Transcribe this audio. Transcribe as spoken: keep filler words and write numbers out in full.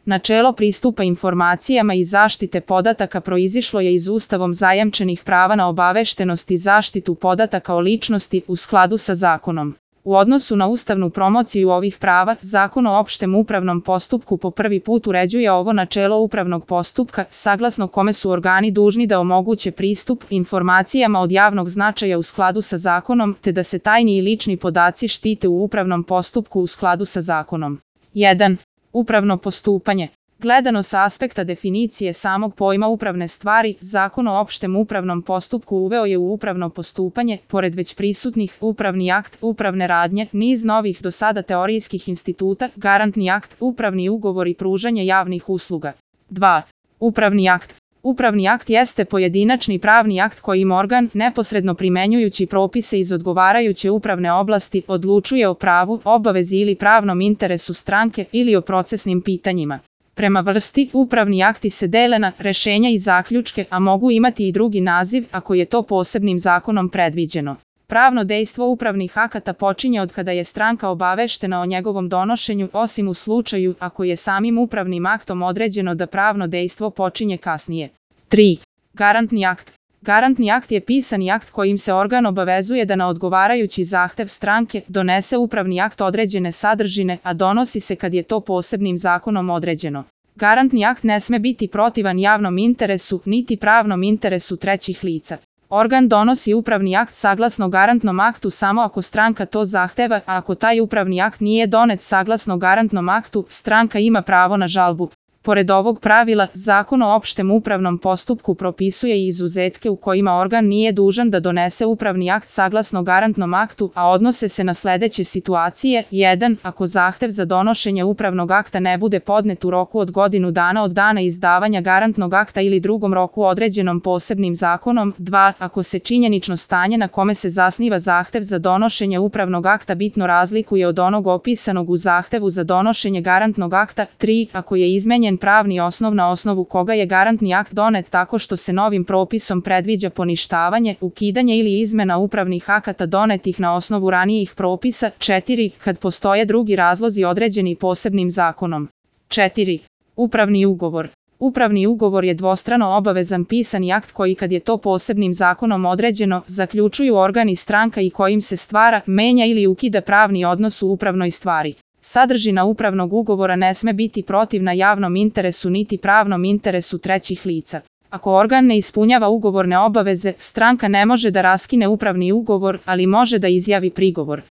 Načelo pristupa informacijama i zaštite podataka proizišlo je iz Ustavom zajamčenih prava na obaveštenost i zaštitu podataka o ličnosti u skladu sa zakonom. U odnosu na ustavnu promociju ovih prava, Zakon o opštem upravnom postupku po prvi put uređuje ovo načelo upravnog postupka, saglasno kome su organi dužni da omoguće pristup informacijama od javnog značaja u skladu sa zakonom, te da se tajni i lični podaci štite u upravnom postupku u skladu sa zakonom. jedan. Upravno postupanje. Gledano sa aspekta definicije samog pojma upravne stvari, Zakon o opštem upravnom postupku uveo je u upravno postupanje, pored već prisutnih, upravni akt, upravne radnje, niz novih do sada teorijskih instituta, garantni akt, upravni ugovor i pružanje javnih usluga. dva. Upravni akt. Upravni akt jeste pojedinačni pravni akt kojim organ, neposredno primenjujući propise iz odgovarajuće upravne oblasti, odlučuje o pravu, obavezi ili pravnom interesu stranke ili o procesnim pitanjima. Prema vrsti, upravni akti se dele na rešenja i zaključke, a mogu imati i drugi naziv ako je to posebnim zakonom predviđeno. Pravno dejstvo upravnih akata počinje od kada je stranka obaveštena o njegovom donošenju, osim u slučaju ako je samim upravnim aktom određeno da pravno dejstvo počinje kasnije. tri. Garantni akt. Garantni akt je pisani akt kojim se organ obavezuje da na odgovarajući zahtev stranke donese upravni akt određene sadržine, a donosi se kad je to posebnim zakonom određeno. Garantni akt ne sme biti protivan javnom interesu, niti pravnom interesu trećih lica. Organ donosi upravni akt saglasno garantnom aktu samo ako stranka to zahteva, a ako taj upravni akt nije donet saglasno garantnom aktu, stranka ima pravo na žalbu. Pored ovog pravila, Zakon o opštem upravnom postupku propisuje i izuzetke u kojima organ nije dužan da donese upravni akt saglasno garantnom aktu, a odnose se na sledeće situacije. jedan. Ako zahtev za donošenje upravnog akta ne bude podnet u roku od godinu dana od dana izdavanja garantnog akta ili drugom roku određenom posebnim zakonom. dva. Ako se činjenično stanje na kome se zasniva zahtev za donošenje upravnog akta bitno razlikuje od onog opisanog u zahtevu za donošenje garantnog akta. tri. Ako je izmenjen pravni osnov na osnovu koga je garantni akt donet tako što se novim propisom predviđa poništavanje, ukidanje ili izmena upravnih akata donetih na osnovu ranijih propisa. četiri. Kad postoje drugi razlozi određeni posebnim zakonom. četiri. Upravni ugovor. Upravni ugovor je dvostrano obavezan pisani akt koji, kad je to posebnim zakonom određeno, zaključuju organ i stranka i kojim se stvara, menja ili ukida pravni odnos u upravnoj stvari. Sadržina upravnog ugovora ne sme biti protivna javnom interesu niti pravnom interesu trećih lica. Ako organ ne ispunjava ugovorne obaveze, stranka ne može da raskine upravni ugovor, ali može da izjavi prigovor.